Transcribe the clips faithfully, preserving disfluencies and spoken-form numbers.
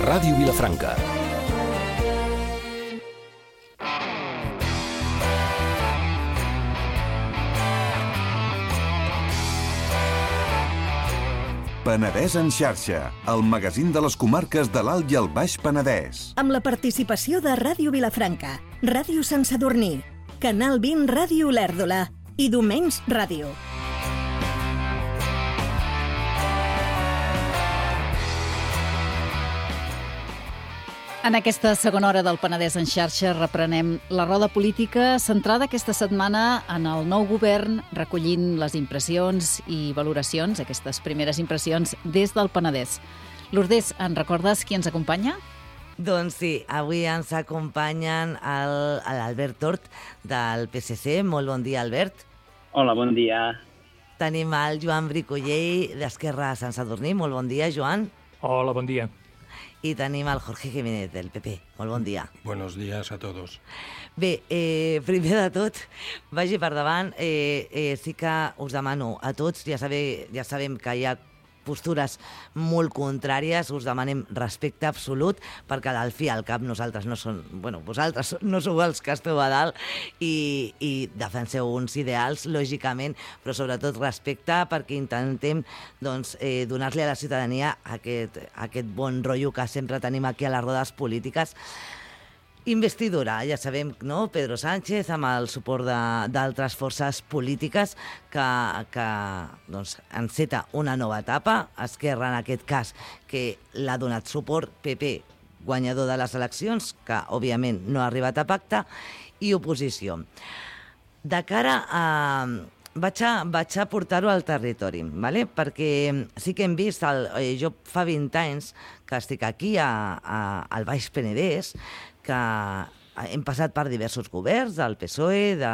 Ràdio Vilafranca. Penedès en xarxa, el magazín de les comarques de l'Alt i el Baix Penedès. Amb la participació de Ràdio Vilafranca, Ràdio Sant Sadurní, Canal vint Ràdio Olèrdola i Domens Ràdio. En aquesta segona hora del Penedès en xarxa reprenem la roda política centrada aquesta setmana en el nou govern, recollint les impressions i valoracions, aquestes primeres impressions, des del Penedès. Lourdes, en recordes qui ens acompanya? Doncs sí, avui ens acompanyen el- l'Albert Tort del P S C. Molt bon dia, Albert. Hola, bon dia. Tenim el Joan Bricollell d'Esquerra Sant Sadurní. Molt bon dia, Joan. Hola, bon dia. I tenim el Jorge Jiménez del P P. Molt bon dia. Buenos días a todos. Bé, eh, primer de tot, vagi per davant, eh, eh, sí que us demano a tots, ja, sabe, ja sabem que hi ha postures molt contràries, us demanem respecte absolut, perquè al fi al cap nosaltres no som, bueno, vosaltres no sou els que esteu a dalt i, i defenseu uns ideals, lògicament, però sobretot respecte perquè intentem doncs, eh, donar-li a la ciutadania aquest, aquest bon rotllo que sempre tenim aquí a les rodes polítiques. Investidura, ja sabem, no? Pedro Sánchez, amb el suport de- d'altres forces polítiques que, que doncs, enceta una nova etapa. Esquerra, en aquest cas, que l'ha donat suport, P P, guanyador de les eleccions, que, òbviament, no ha arribat a pacte, i oposició. De cara a... Vaig a, vaig a portar-ho al territori, ¿vale? Perquè sí que hem vist, el, eh, jo fa vint anys que estic aquí a, a, al Baix Penedès, que hem passat per diversos governs, del P S O E, de,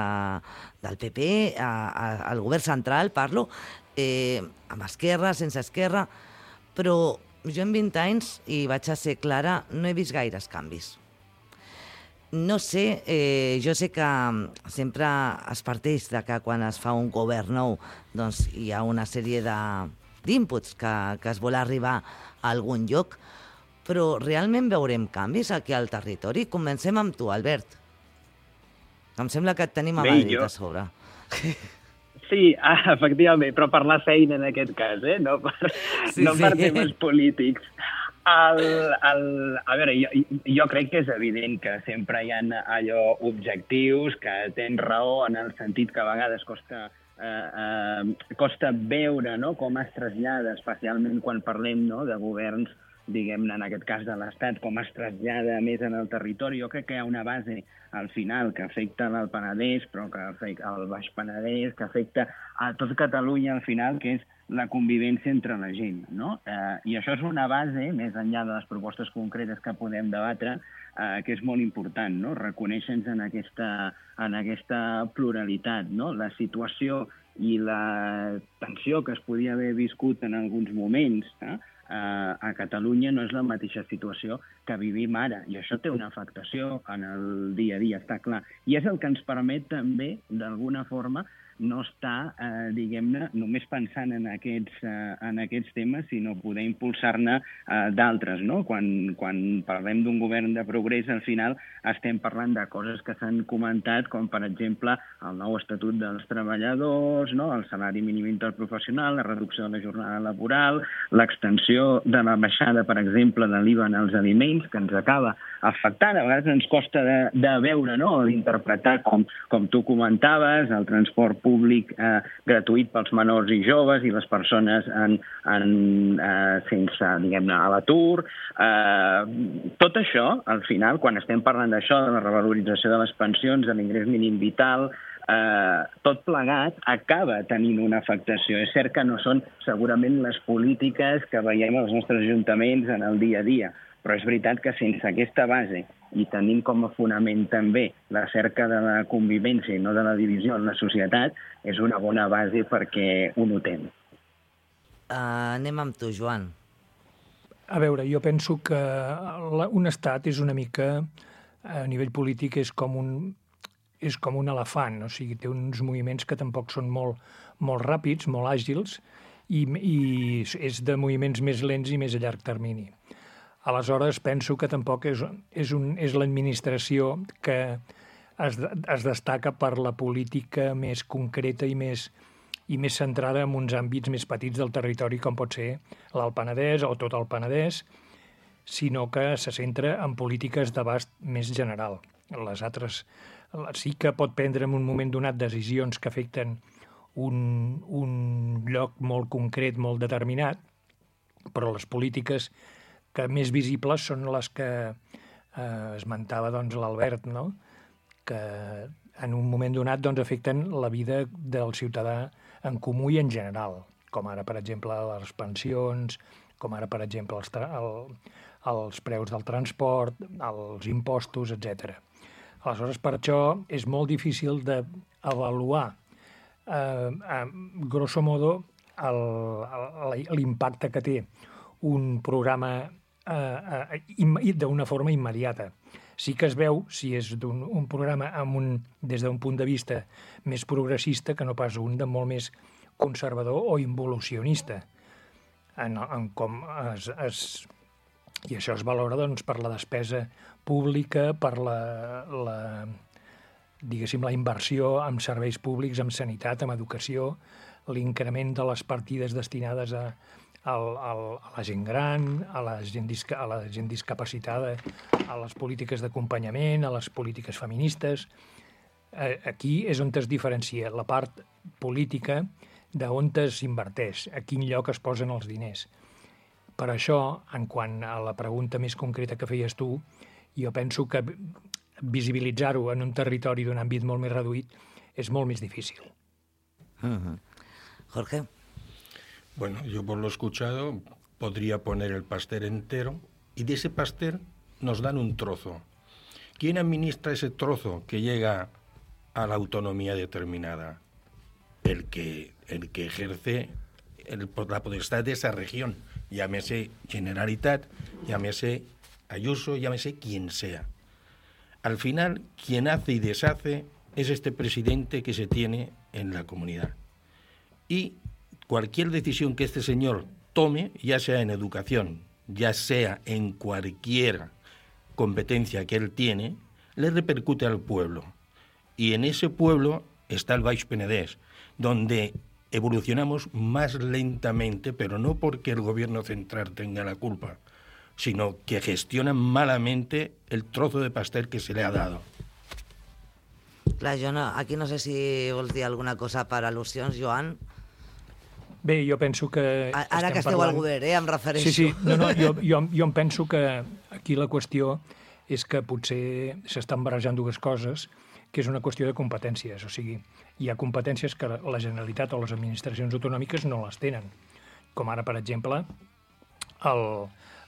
del P P, a, a, al govern central, parlo, eh, amb esquerra, sense esquerra, però jo en vint anys, i vaig a ser clara, no he vist gaires canvis. No sé, eh, jo sé que sempre es parteix de que quan es fa un govern nou doncs hi ha una sèrie de- d'inputs que, que es vol arribar a algun lloc, però realment veurem canvis aquí al territori? Comencem amb tu, Albert. Em sembla que et tenim a Bé, Madrid jo- a sobre. Sí, ah, efectivament, però per la feina en aquest cas, eh? no per, Sí, sí, no sí. per temes polítics. El, el, a veure, jo, jo crec que és evident que sempre hi ha allò objectius, que tens raó en el sentit que a vegades costa, eh, eh, costa veure no? com es trasllada, especialment quan parlem no? de governs, diguem-ne, en aquest cas de l'Estat, com es trasllada més en el territori. Jo crec que hi ha una base al final que afecta el Penedès, però que afecta el Baix Penedès, que afecta a tot Catalunya al final, que és la convivència entre la gent, no? Eh, I això és una base, més enllà de les propostes concretes que podem debatre, eh, que és molt important, no? Reconèixer-nos en aquesta, en aquesta pluralitat, no? La situació i la tensió que es podia haver viscut en alguns moments, eh? Uh, a Catalunya no és la mateixa situació que vivim ara, i això té una afectació en el dia a dia, està clar. I és el que ens permet també, d'alguna forma, no estar, eh, diguem-ne, només pensant en aquests, eh, en aquests temes, sinó poder impulsar-ne eh, d'altres, no? Quan, quan parlem d'un govern de progrés, al final estem parlant de coses que s'han comentat, com per exemple el nou estatut dels treballadors, no? El salari mínim interprofessional, la reducció de la jornada laboral, l'extensió de la baixada, per exemple, de l'I V A en els aliments, que ens acaba afectant. A vegades ens costa de, de veure, no? D'interpretar, com, com tu comentaves, el transport públic eh, gratuït pels menors i joves i les persones en, en, eh, sense, diguem-ne, a l'atur. Eh, tot això, al final, quan estem parlant d'això, de la revalorització de les pensions, de l'ingrés mínim vital, eh, tot plegat acaba tenint una afectació. És cert que no són segurament les polítiques que veiem als nostres ajuntaments en el dia a dia, però és veritat que sense aquesta base i tenint com a fonament també la cerca de la convivència i no de la divisió en la societat, és una bona base perquè ho notem. Uh, anem amb tu, Joan. A veure, jo penso que la, un estat és una mica, a nivell polític, és com un, és com un elefant, o sigui, té uns moviments que tampoc són molt, molt ràpids, molt àgils, i, i és de moviments més lents i més a llarg termini. Aleshores, penso que tampoc és, és, un, és l'administració que es, es destaca per la política més concreta i més, i més centrada en uns àmbits més petits del territori, com pot ser l'Alt Penedès o tot el Penedès, sinó que se centra en polítiques d'abast més general. Les altres sí que pot prendre en un moment donat decisions que afecten un, un lloc molt concret, molt determinat, però les polítiques que més visibles són les que eh, esmentava doncs, l'Albert, no? Que en un moment donat doncs, afecten la vida del ciutadà en comú i en general, com ara, per exemple, les pensions, com ara, per exemple, els, el, els preus del transport, els impostos, etcètera. Aleshores, per això és molt difícil d'avaluar, eh, eh, grosso modo, l'impacte que té un programa eh, eh, d'una forma immediata. Sí que es veu si és un, un programa amb un, des d'un punt de vista més progressista que no pas un de molt més conservador o involucionista. En, en com es, es, I això es valora doncs, per la despesa pública, per la, la, diguéssim, la inversió en serveis públics, en sanitat, en educació, l'increment de les partides destinades a, a, a, a la gent gran, a la gent, disca, a la gent discapacitada, a les polítiques d'acompanyament, a les polítiques feministes. Aquí és on es diferencia la part política d'on s'inverteix, a quin lloc es posen els diners. Per això, en quant a la pregunta més concreta que feies tu, jo penso que visibilitzar-ho en un territori d'un àmbit molt més reduït és molt més difícil. Uh-huh. Jorge. Bueno, yo por lo escuchado podría poner el pastel entero y de ese pastel nos dan un trozo. ¿Quién administra ese trozo que llega a la autonomía determinada? El que, el que ejerce el, la potestad de esa región, llámese Generalitat, llámese Ayuso, llámese quien sea. Al final, quien hace y deshace es este presidente que se tiene en la comunidad. Y cualquier decisión que este señor tome, ya sea en educación, ya sea en cualquier competencia que él tiene, le repercute al pueblo. Y en ese pueblo está el Baix Penedès, donde evolucionamos más lentamente, pero no porque el gobierno central tenga la culpa, sino que gestionan malamente el trozo de pastel que se le ha dado. Clar, jo no, aquí no sé si vols dir alguna cosa per al·lusions, Joan. Bé, jo penso que... Ara que esteu parlant... al govern, eh, em refereixo. Sí, sí, no, no, jo, jo, jo em penso que aquí la qüestió és que potser s'estan barrejant dues coses, que és una qüestió de competències. O sigui, hi ha competències que la Generalitat o les administracions autonòmiques no les tenen, com ara, per exemple, el,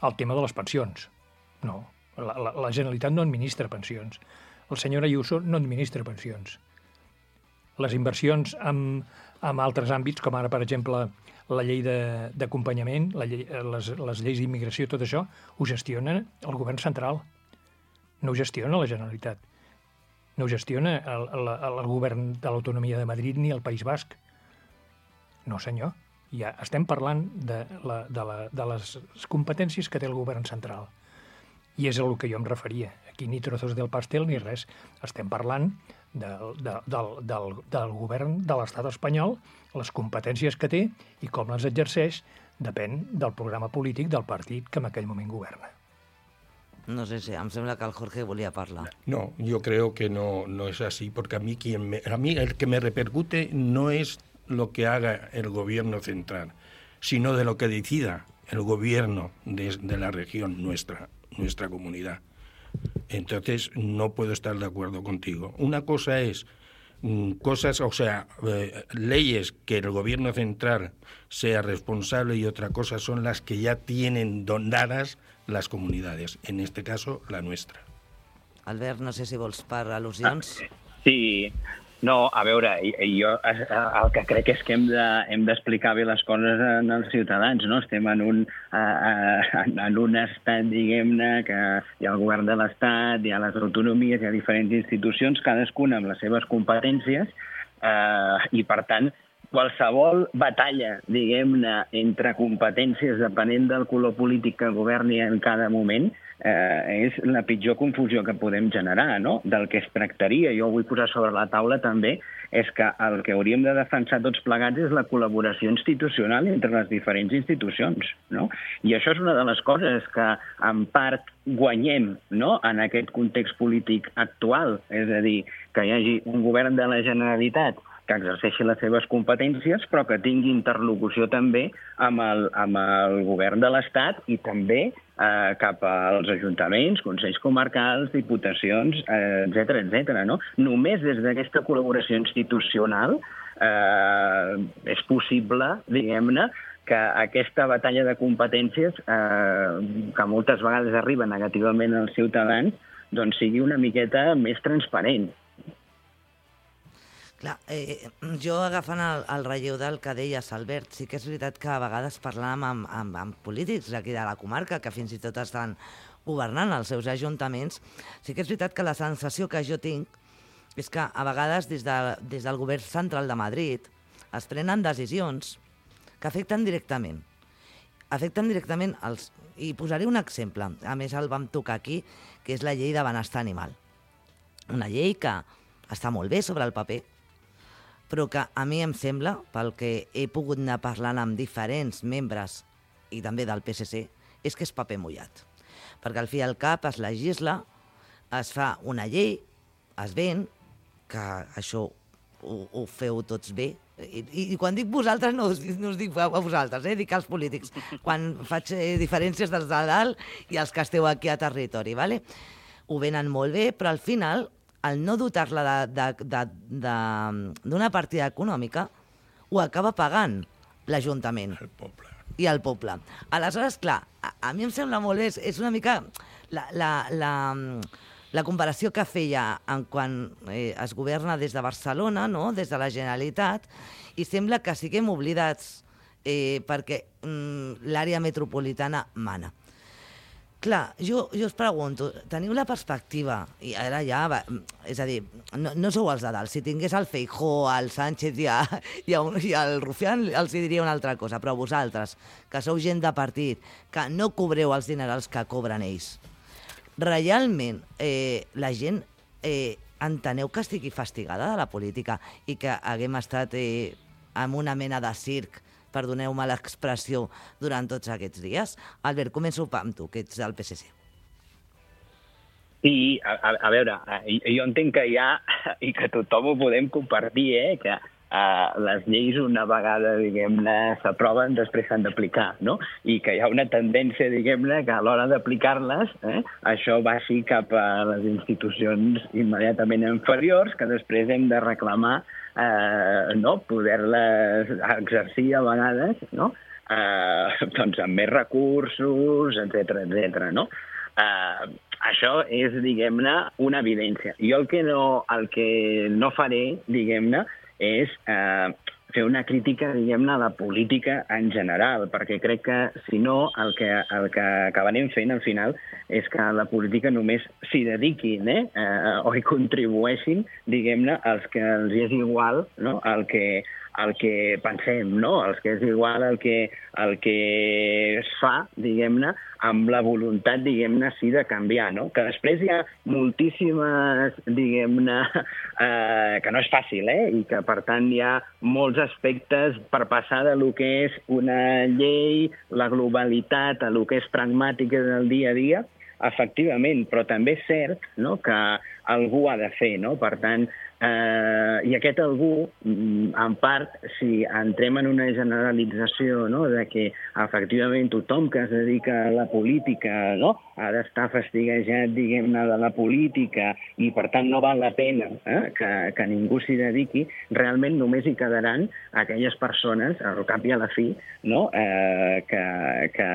el tema de les pensions. No, la, la, la Generalitat no administra pensions. El senyor Ayuso no administra pensions. Les inversions en, en altres àmbits, com ara, per exemple, la llei d'acompanyament, llei, les, les lleis d'immigració, tot això, ho gestiona el govern central. No ho gestiona la Generalitat. No ho gestiona el, el, el govern de l'autonomia de Madrid ni el País Basc. No, senyor. Ja estem parlant de, la, de, la, de les competències que té el govern central. I és a el que jo em referia. Aquí ni trozos del pastel ni res. Estem parlant del, de, del, del, del govern de l'estat espanyol, les competències que té i com les exerceix depèn del programa polític del partit que en aquell moment governa. No sé si, em sembla que el Jorge volia parlar. No, yo creo que no, no es así, porque a mí, quien me, a mí el que me repercute no es lo que haga el gobierno central, sino de lo que decida el gobierno de, de la región nuestra, nuestra comunidad. Entonces, no puedo estar de acuerdo contigo. Una cosa es mmm, cosas, o sea, eh, leyes que el gobierno central sea responsable y otra cosa son las que ya tienen donadas las comunidades, en este caso la nuestra. Albert, no sé si vols per al·lusions. Ah, sí, no, a veure, jo el que crec és que hem de, hem d'explicar bé les coses als ciutadans, no? Estem en un, en un estat, diguem-ne, que hi ha el govern de l'estat, hi ha les autonomies, hi ha diferents institucions, cadascuna amb les seves competències, eh, i per tant, qualsevol batalla, diguem-ne, entre competències depenent del color polític que governi en cada moment, eh, és la pitjor confusió que podem generar, no? Del que es tractaria. Jo vull posar sobre la taula també és que el que hauríem de defensar tots plegats és la col·laboració institucional entre les diferents institucions, no? I això és una de les coses que en part guanyem, no?, en aquest context polític actual, és a dir, que hi hagi un govern de la Generalitat que exerceixi les seves competències, però que tingui interlocució també amb el, amb el govern de l'Estat i també eh, cap als ajuntaments, consells comarcals, diputacions, eh, etcètera, etcètera, no? Només des d'aquesta col·laboració institucional eh, és possible, diguem-ne, que aquesta batalla de competències, eh, que moltes vegades arriba negativament als ciutadans, doncs sigui una miqueta més transparent. Clar, eh, jo agafant el, el relleu del que deies, Albert, sí que és veritat que a vegades parlàvem amb, amb, amb polítics d'aquí de la comarca, que fins i tot estan governant els seus ajuntaments, sí que és veritat que la sensació que jo tinc és que a vegades des, de, des del govern central de Madrid es prenen decisions que afecten directament. Afecten directament els... I posaré un exemple, a més el vam tocar aquí, que és la llei de benestar animal. Una llei que està molt bé sobre el paper, però que a mi em sembla, pel que he pogut anar parlant amb diferents membres i també del P S C, és que és paper mullat. Perquè al fi i al cap es legisla, es fa una llei, es ven, que això ho, ho feu tots bé, i, i quan dic vosaltres no us, no us dic a vosaltres, eh? Dic als polítics, quan faig eh, diferències dels de dalt i els que esteu aquí a territori, ¿vale? Ho venen molt bé, però al final el no dotar-la d'una partida econòmica ho acaba pagant l'Ajuntament. El poble. I el poble. Aleshores, clar, a, a mi em sembla molt bé, és, és una mica la, la, la, la comparació que feia en quan eh, es governa des de Barcelona, no?, des de la Generalitat, i sembla que siguem oblidats eh, perquè mm, l'àrea metropolitana mana. Clar, jo, jo us pregunto, teniu la perspectiva, i ara ja, va, és a dir, no, no sou els de dalt, si tingués el Feijóo, el Sánchez i, a, i, a, i el Rufián els diria una altra cosa, però vosaltres, que sou gent de partit, que no cobreu els dinerals que cobren ells, realment eh, la gent eh, enteneu que estigui fastigada de la política i que haguem estat eh, en una mena de circ, perdoneu-me l'expressió, durant tots aquests dies? Albert, començo amb tu, que ets del P S C. Sí, a, a, a veure, jo entenc que hi ha, i que tothom ho podem compartir, eh, que uh, les lleis una vegada, diguem-ne, s'aproven, després s'han d'aplicar, no? I que hi ha una tendència, diguem-ne, que a l'hora d'aplicar-les, eh, això vagi cap a les institucions immediatament inferiors, que després hem de reclamar Eh, no? poder-les exercir a vegades, no? eh, doncs amb més recursos, etcètera, etcètera, no? Eh, això és, diguem-ne, una evidència. Jo el que no, el que no faré, diguem-ne, és eh, fer una crítica, diguem-ne, a la política en general, perquè crec que, si no, el que, el que acabarem fent, al final, és que la política només s'hi dediquin, eh? eh o hi contribueixin, diguem-ne, els que els és igual, no?, el que, el que pensem, no?, els que és igual el que, el que es fa, diguem-ne, amb la voluntat, diguem-ne, sí, de canviar, no? Que després hi ha moltíssimes, diguem-ne, eh, que no és fàcil, eh? I que, per tant, hi ha molts aspectes per passar de lo que és una llei, la globalitat, a lo que és pragmàtica del dia a dia, efectivament, però també és cert, no?, que algú ha de fer, no? Per tant, eh, i aquest algú, en part, si entrem en una generalització, no?, de que efectivament tothom que es dedica a la política, no?, ha d'estar fastiguejat, diguem-ne, de la política i, per tant, no val la pena eh, que, que ningú s'hi dediqui, realment només hi quedaran aquelles persones, al cap i a la fi, no?, eh, que, que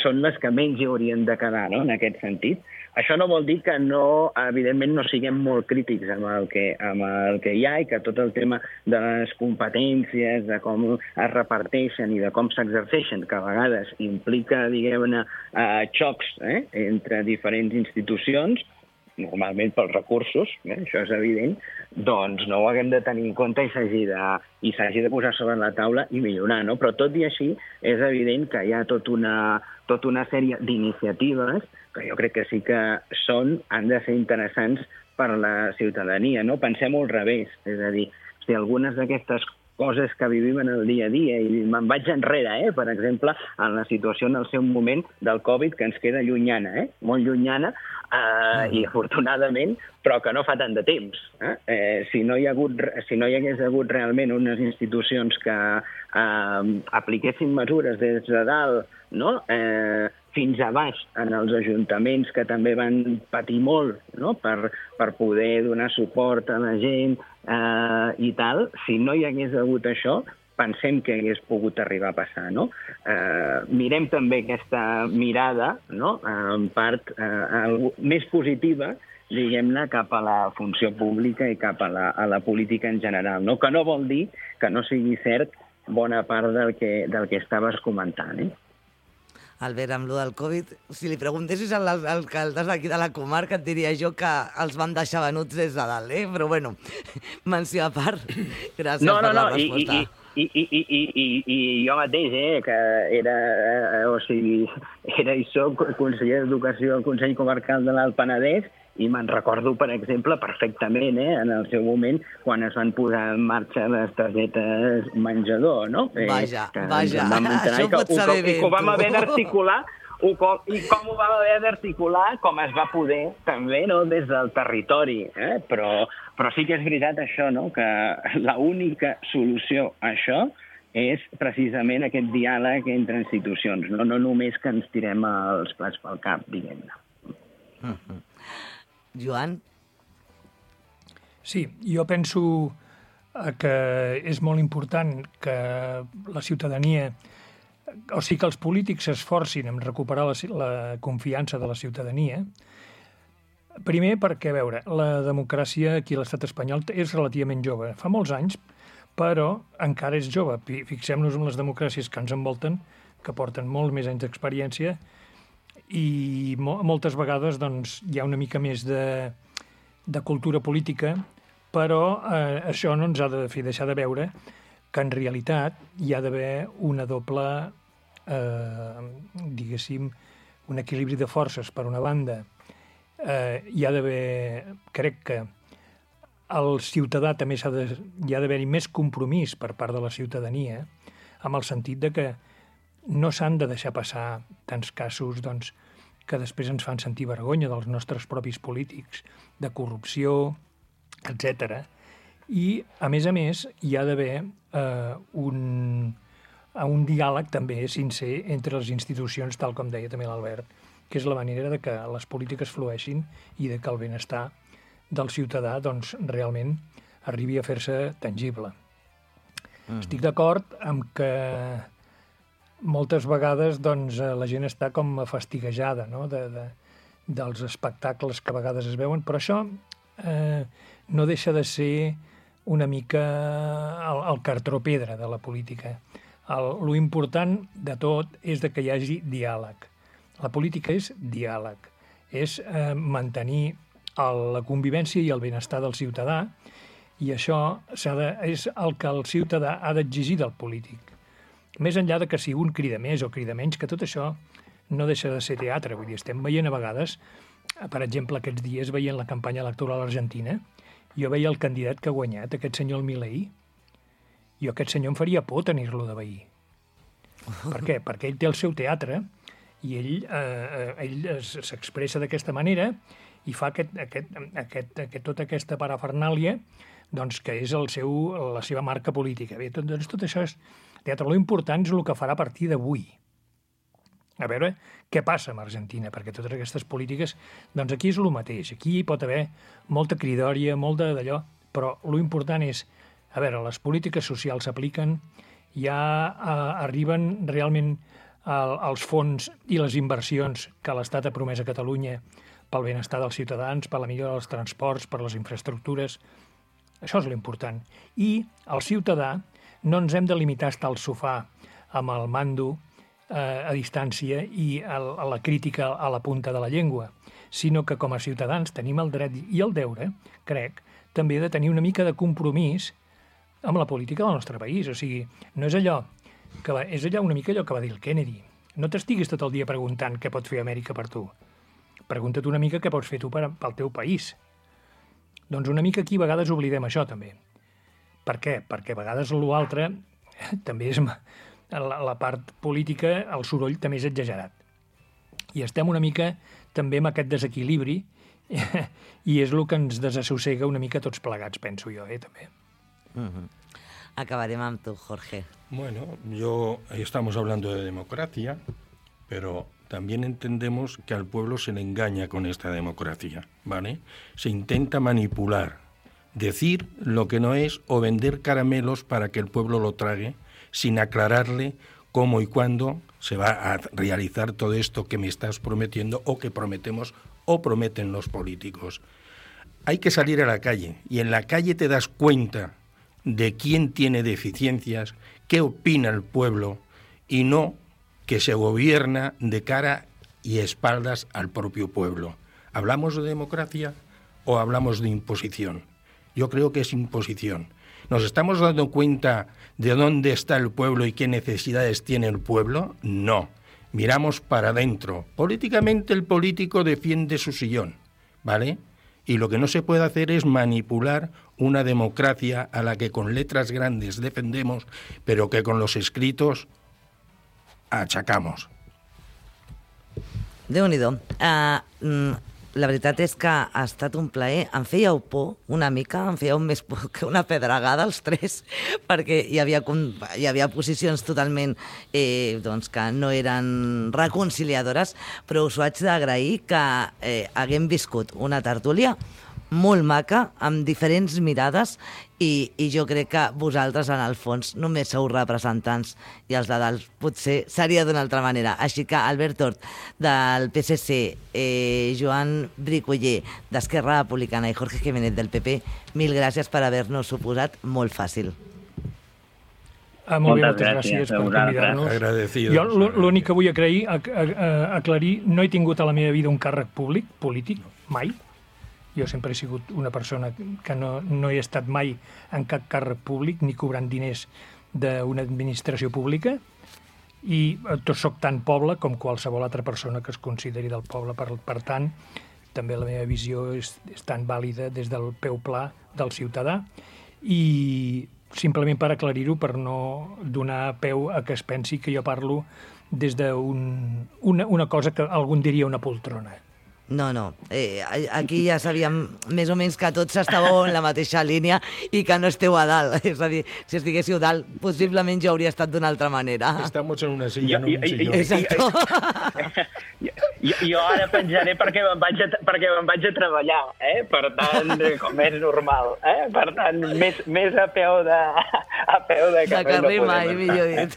són les que menys hi haurien de quedar, no?, en aquest sentit. Això no vol dir que no, evidentment, no siguem molt crítics amb el que, amb el que hi ha i que tot el tema de les competències, de com es reparteixen i de com s'exerceixen, que a vegades implica, diguem-ne, eh, xocs eh, entre diferents institucions, normalment pels recursos, eh, això és evident, doncs no ho haguem de tenir en compte i s'hagi de, i s'hagi de posar sobre la taula i millorar, no? Però tot i així és evident que hi ha tot una, tota una sèrie d'iniciatives que jo crec que sí que són, han de ser interessants per a la ciutadania, no? Pensem-ho al revés, és a dir, si algunes d'aquestes coses que vivim en el dia a dia, i me'n vaig enrere, eh? Per exemple, en la situació en el seu moment del Covid, que ens queda llunyana, eh? Molt llunyana, eh, i afortunadament, però que no fa tant de temps. Eh? Eh, si, no hi ha hagut, si no hi hagués hagut realment unes institucions que eh, apliquessin mesures des de dalt, no? eh, fins a baix en els ajuntaments que també van patir molt, no? per, per poder donar suport a la gent eh, i tal, si no hi hagués hagut això, pensem que hagués pogut arribar a passar, no? Eh, mirem també aquesta mirada, no? En part eh, més positiva, diguem-ne, cap a la funció pública i cap a la, a la política en general, no? Que no vol dir que no sigui cert bona part del que, del que estaves comentant, eh? Albert, amb lo del Covid, si li preguntessis als alcaldes d'aquí de la comarca, et diria jo que els vam deixar venuts des de dalt, eh? Però bueno, menció a part, gràcies no, no, per la no, resposta. I, i, i, i, i, i, i jo mateix, eh, que era, eh, o sigui, era i soc conseller d'Educació al Consell Comarcal de l'Alt Penedès, i me'n recordo, per exemple, perfectament, eh, en el seu moment, quan es van posar en marxa les targetes menjador, no? Eh, vaja, que vaja, això ho pots saber bé, tu. I que ho vam tu. haver d'articular, i com ho vam haver d'articular, com es va poder, també, no?, des del territori. Eh? Però, però sí que és veritat això, no?, que l'única solució a això és precisament aquest diàleg entre institucions, no, no només que ens tirem els plats pel cap, diguem-ne. Mm-hmm. Joan? Sí, jo penso que és molt important que la ciutadania, o sigui, que els polítics s'esforcin en recuperar la, la confiança de la ciutadania. Primer perquè, a veure, la democràcia aquí a l'estat espanyol és relativament jove. Fa molts anys, però encara és jove. Fixem-nos en les democràcies que ens envolten, que porten molt més anys d'experiència, i mo moltes vegades doncs, hi ha una mica més de, de cultura política, però eh, això no ens ha de fer deixar de veure que en realitat hi ha d'haver una doble, eh, diguéssim, un equilibri de forces. Per una banda, eh, hi ha d'haver, crec que el ciutadà també s'ha de, hi ha d'haver-hi més compromís per part de la ciutadania, amb el sentit de que no s'han de deixar passar tants casos doncs, que després ens fan sentir vergonya dels nostres propis polítics, de corrupció, etcètera. I, a més a més, hi ha d'haver eh, un, un diàleg també sincer entre les institucions, tal com deia també l'Albert, que és la manera de que les polítiques flueixin i de que el benestar del ciutadà doncs, realment arribi a fer-se tangible. Mm. Estic d'acord amb que moltes vegades doncs, la gent està com fastiguejada, no?, de, de, dels espectacles que a vegades es veuen, però això eh, no deixa de ser una mica el, el cartró pedra de la política. El, lo important de tot és de que hi hagi diàleg. La política és diàleg, és eh, mantenir el, la convivència i el benestar del ciutadà, i això de, és el que el ciutadà ha d'exigir del polític. Més enllà de que si un crida més o crida menys, que tot això no deixa de ser teatre. Vull dir, estem veient a vegades, per exemple, aquests dies veient la campanya electoral argentina, jo veia el candidat que ha guanyat, aquest senyor Milei, i aquest senyor em faria por tenir-lo de veí. Per què? Perquè ell té el seu teatre i ell, eh, ell s'expressa d'aquesta manera i fa aquest, aquest, aquest, aquest, tota aquesta parafernàlia doncs, que és el seu, la seva marca política. Bé, tot, doncs, tot això és teatre. Lo important és el que farà a partir d'avui. A veure què passa amb Argentina, perquè totes aquestes polítiques, doncs aquí és el mateix. Aquí hi pot haver molta cridòria, molt d'allò, però lo important és, a veure, les polítiques socials s'apliquen, ja eh, arriben realment el, els fons i les inversions que l'Estat ha promès a Catalunya pel benestar dels ciutadans, per la millora dels transports, per les infraestructures. Això és l'important. I el ciutadà no ens hem de limitar a estar al sofà amb el mando a distància i a la crítica a la punta de la llengua, sinó que com a ciutadans tenim el dret i el deure, crec, també de tenir una mica de compromís amb la política del nostre país. O sigui, no és allò que va, és allò una mica allò que va dir el Kennedy. No t'estiguis tot el dia preguntant què pot fer Amèrica per tu. Pregunta't una mica què pots fer tu per, pel teu país. Doncs una mica aquí a vegades oblidem això, també. Per què? Perquè a vegades l'altre també és... La, la part política, el soroll també és exagerat. I estem una mica també amb aquest desequilibri i és el que ens desassossega una mica tots plegats, penso jo, eh, també. Uh-huh. Acabarem amb tu, Jorge. Bueno, yo estamos hablando de democracia, pero también entendemos que al pueblo se le engaña con esta democracia, ¿vale? Se intenta manipular, decir lo que no es o vender caramelos para que el pueblo lo trague, sin aclararle cómo y cuándo se va a realizar todo esto que me estás prometiendo o que prometemos o prometen los políticos. Hay que salir a la calle y en la calle te das cuenta de quién tiene deficiencias, qué opina el pueblo y no que se gobierna de cara y espaldas al propio pueblo. ¿Hablamos de democracia o hablamos de imposición? Yo creo que es imposición. ¿Nos estamos dando cuenta de dónde está el pueblo y qué necesidades tiene el pueblo? No. Miramos para adentro. Políticamente el político defiende su sillón, ¿vale? Y lo que no se puede hacer es manipular una democracia a la que con letras grandes defendemos, pero que con los escritos achacamos. Déu-n'hi-do. Uh, mm, la veritat és que ha estat un plaer. Em fèieu por una mica, em fèieu més por que una pedregada els tres, perquè hi havia, hi havia posicions totalment eh, doncs que no eren reconciliadores, però us ho haig d'agrair que eh, haguem viscut una tertúlia molt maca, amb diferents mirades, i, i jo crec que vosaltres, en el fons, només sou representants i els de dalt potser seria d'una altra manera. Així que Albert Tort, del P S C, eh, Joan Bricoller, d'Esquerra Republicana, i Jorge Jiménez, del P P, mil gràcies per haver-nos suposat molt fàcil. Ah, molt bé, moltes gràcies per convidar-nos. Agradecidos. Jo l'únic que vull aclarir, aclarir, no he tingut a la meva vida un càrrec públic, polític, mai. Jo sempre he sigut una persona que no, no he estat mai en cap càrrec públic ni cobrant diners d'una administració pública i tot soc tan poble com qualsevol altra persona que es consideri del poble. Per, per tant, també la meva visió és, és tan vàlida des del peu pla del ciutadà i simplement per aclarir-ho, per no donar peu a que es pensi que jo parlo des d'una un, una cosa que algú diria una poltrona. No, no. Eh, aquí ja sabíem més o menys que tots estàveu en la mateixa línia i que no esteu a dalt. És a dir, si estiguéssiu dalt, possiblement jo hauria estat d'una altra manera. Estamos en una silla, no en un sillón. Exacto. Jo, jo ara penjaré perquè me'n vaig, a, perquè me'n vaig a treballar, eh? Per tant, com és normal. Eh? Per tant, més, més a peu de, a peu de carrer. De carrer no mai, millor dit.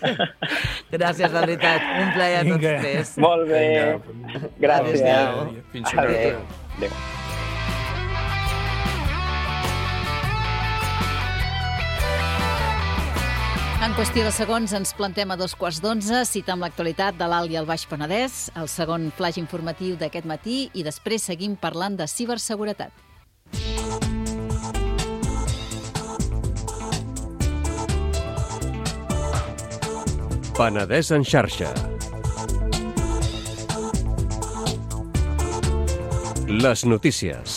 Gràcies, de veritat. Un plaer a tots tres. Molt bé. Vinga. Gràcies. Adéu. Fins una altra. Adéu. En qüestió de segons ens plantem a dos quarts d'onze, cita amb l'actualitat de l'Alt i el Baix Penedès, el segon flaix informatiu d'aquest matí i després seguim parlant de ciberseguretat. Penedès en xarxa. Les notícies.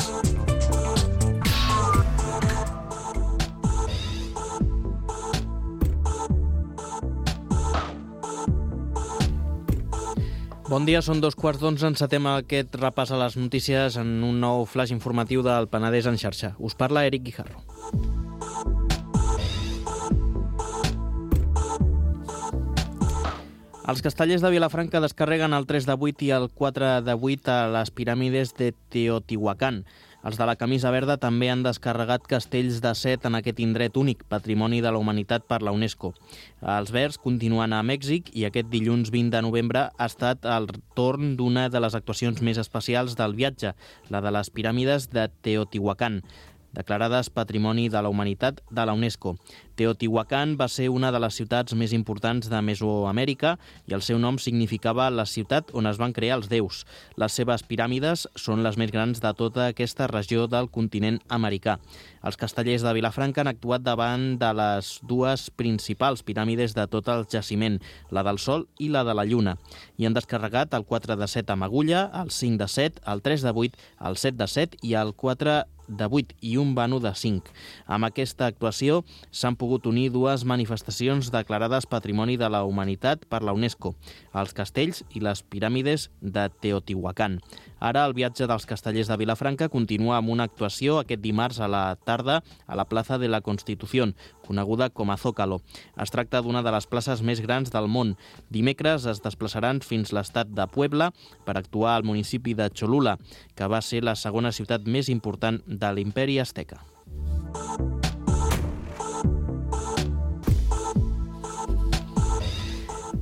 Bon dia, són dos quarts d'onze, encetem aquest repàs a les notícies en un nou flash informatiu del Penedès en xarxa. Us parla Eric Guijarro. Els castellers de Vilafranca descarreguen el tres de vuit i el quatre de vuit a les piràmides de Teotihuacán. Els de la camisa verda també han descarregat castells de set en aquest indret únic, Patrimoni de la Humanitat per la UNESCO. Els verds continuen a Mèxic i aquest dilluns vint de novembre ha estat el torn d'una de les actuacions més especials del viatge, la de les piràmides de Teotihuacán. declarades Patrimoni de la Humanitat de la UNESCO. Teotihuacan va ser una de les ciutats més importants de Mesoamèrica i el seu nom significava la ciutat on es van crear els déus. Les seves piràmides són les més grans de tota aquesta regió del continent americà. Els castellers de Vilafranca han actuat davant de les dues principals piràmides de tot el jaciment, la del Sol i la de la Lluna, i han descarregat el quatre de set amb agulla, el cinc de set, el tres de vuit, el set de set i el quatre de vuit i un vano de cinc. Amb aquesta actuació s'han pogut unir dues manifestacions declarades Patrimoni de la Humanitat per la UNESCO, els castells i les piràmides de Teotihuacan. Ara el viatge dels castellers de Vilafranca continua amb una actuació aquest dimarts a la tarda a la plaça de la Constitución, coneguda com a Zócalo. Es tracta d'una de les places més grans del món. Dimecres es desplaçaran fins l'estat de Puebla per actuar al municipi de Cholula, que va ser la segona ciutat més important de l'imperi Azteca.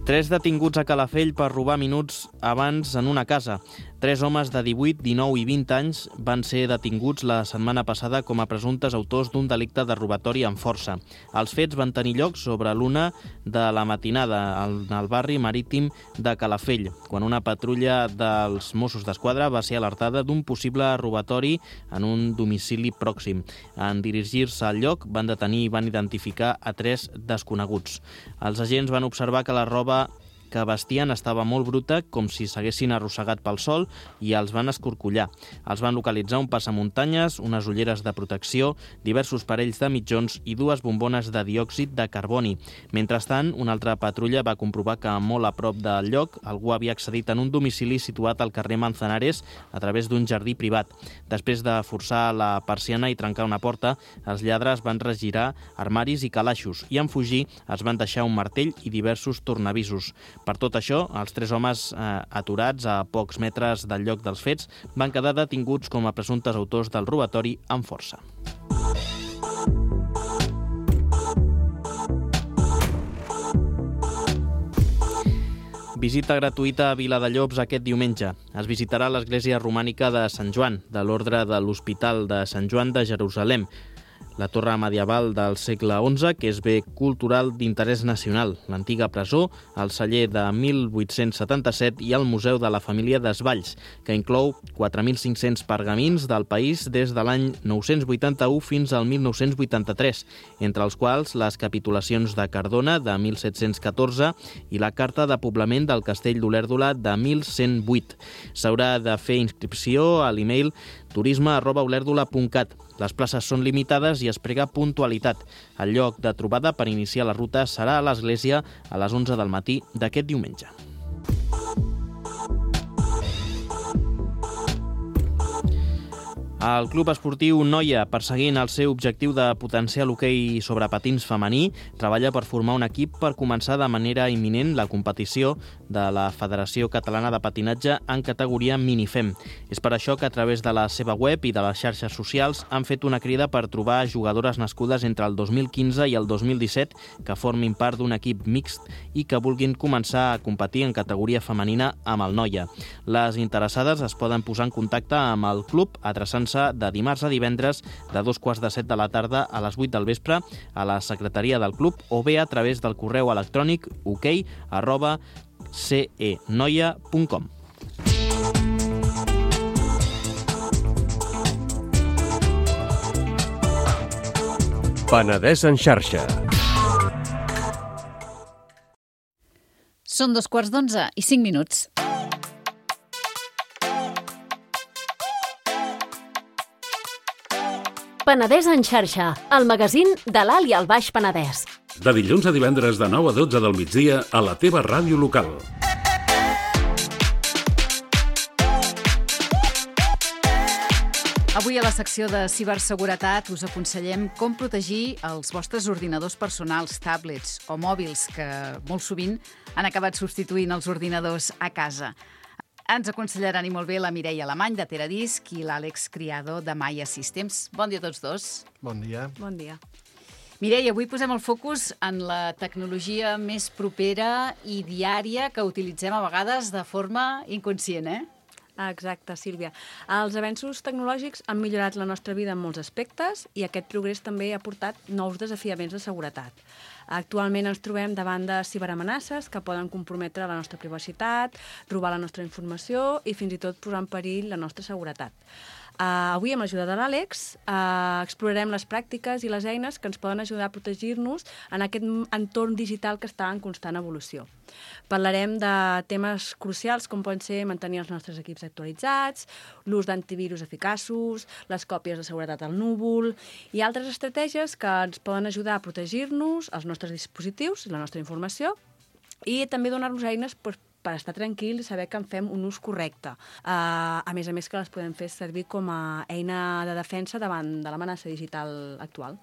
Tres detinguts a Calafell per robar minuts abans en una casa. Tres homes de divuit, dinou i vint anys van ser detinguts la setmana passada com a presumptes autors d'un delicte de robatori amb força. Els fets van tenir lloc sobre l'una de la matinada al barri marítim de Calafell, quan una patrulla dels Mossos d'Esquadra va ser alertada d'un possible robatori en un domicili pròxim. En dirigir-se al lloc van detenir i van identificar a tres desconeguts. Els agents van observar que la roba que vestien estava molt bruta, com si s'haguessin arrossegat pel sol, i els van escorcollar. Els van localitzar un passamuntanyes, unes ulleres de protecció, diversos parells de mitjons i dues bombones de diòxid de carboni. Mentrestant, una altra patrulla va comprovar que molt a prop del lloc algú havia accedit en un domicili situat al carrer Manzanares a través d'un jardí privat. Després de forçar la persiana i trencar una porta, els lladres van regirar armaris i calaixos i en fugir es van deixar un martell i diversos tornavisos. Per tot això, els tres homes eh, aturats a pocs metres del lloc dels fets van quedar detinguts com a presumptes autors del robatori amb força. Visita gratuïta a Viladellobs aquest diumenge. Es visitarà l'església romànica de Sant Joan, de l'Ordre de l'Hospital de Sant Joan de Jerusalem, la torre medieval del segle onze, que és bé cultural d'interès nacional, l'antiga presó, el celler de mil vuit-cents setanta-set i el Museu de la Família Desvalls, que inclou quatre mil cinc-cents pergamins del país des de l'any nou-cents vuitanta-u fins al mil nou-cents vuitanta-tres, entre els quals les capitulacions de Cardona de mil set-cents catorze i la carta de poblament del castell d'Olèrdola de mil cent vuit. S'haurà de fer inscripció a l'email turisme arroba olèrdola punt cat. Les places són limitades i es prega puntualitat. El lloc de trobada per iniciar la ruta serà a l'església a les onze del matí d'aquest diumenge. El Club Esportiu Noia, perseguint el seu objectiu de potenciar l'hoquei sobre patins femení, treballa per formar un equip per començar de manera imminent la competició de la Federació Catalana de Patinatge en categoria minifem. És per això que a través de la seva web i de les xarxes socials han fet una crida per trobar jugadores nascudes entre el dos mil quinze i el dos mil disset que formin part d'un equip mixt i que vulguin començar a competir en categoria femenina amb el Noia. Les interessades es poden posar en contacte amb el club adreçant-se de dimarts a divendres de dos quarts de set de la tarda a les vuit del vespre a la secretaria del club o bé a través del correu electrònic hoquei arroba cenoia punt com. Penedès en xarxa. Són dos quarts d'onze i cinc minuts. Penedès en xarxa, el magazín de l'Alt i el Baix Penedès. De dilluns a divendres de nou a dotze del migdia a la teva ràdio local. Avui a la secció de ciberseguretat us aconsellem com protegir els vostres ordinadors personals, tablets o mòbils que molt sovint han acabat substituint els ordinadors a casa. Ens aconsellaran i molt bé la Mireia Alemany, de Teradisc, i l'Àlex Criado, de Maya Systems. Bon dia a tots dos. Bon dia. Bon dia. Mireia, avui posem el focus en la tecnologia més propera i diària que utilitzem a vegades de forma inconscient, eh? Exacte, Sílvia. Els avenços tecnològics han millorat la nostra vida en molts aspectes i aquest progrés també ha portat nous desafiaments de seguretat. Actualment ens trobem davant de ciberamenaces que poden comprometre la nostra privacitat, robar la nostra informació i fins i tot posar en perill la nostra seguretat. Uh, avui, amb l'ajuda de l'Àlex, uh, explorarem les pràctiques i les eines que ens poden ajudar a protegir-nos en aquest entorn digital que està en constant evolució. Parlarem de temes crucials com poden ser mantenir els nostres equips actualitzats, l'ús d'antivirus eficaços, les còpies de seguretat al núvol i altres estratègies que ens poden ajudar a protegir-nos, els nostres dispositius i la nostra informació i també donar-nos eines per per estar tranquils i saber que en fem un ús correcte. Uh, a més a més que les podem fer servir com a eina de defensa davant de l'amenaça digital actual.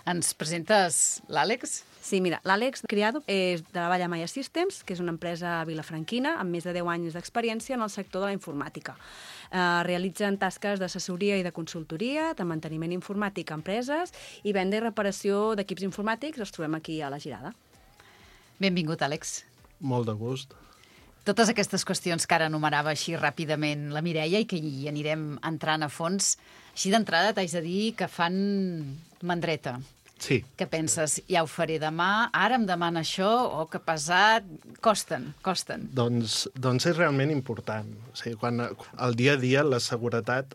Ens presentes l'Àlex? Sí, mira, l'Àlex Criado és de la Valla Maya Systems, que és una empresa vilafranquina amb més de deu anys d'experiència en el sector de la informàtica. Uh, realitzen tasques d'assessoria i de consultoria, de manteniment informàtic a empreses i venda i reparació d'equips informàtics. Els trobem aquí a la Girada. Benvingut, Àlex. Molt de gust. Totes aquestes qüestions que ara enumerava així ràpidament la Mireia i que hi anirem entrant a fons, així d'entrada t'haig de dir que fan mandreta. Sí. Què penses? Ja ho faré demà, ara em demana això, o que pesat... Costen, costen. Doncs, doncs és realment important. O sigui, quan al dia a dia la seguretat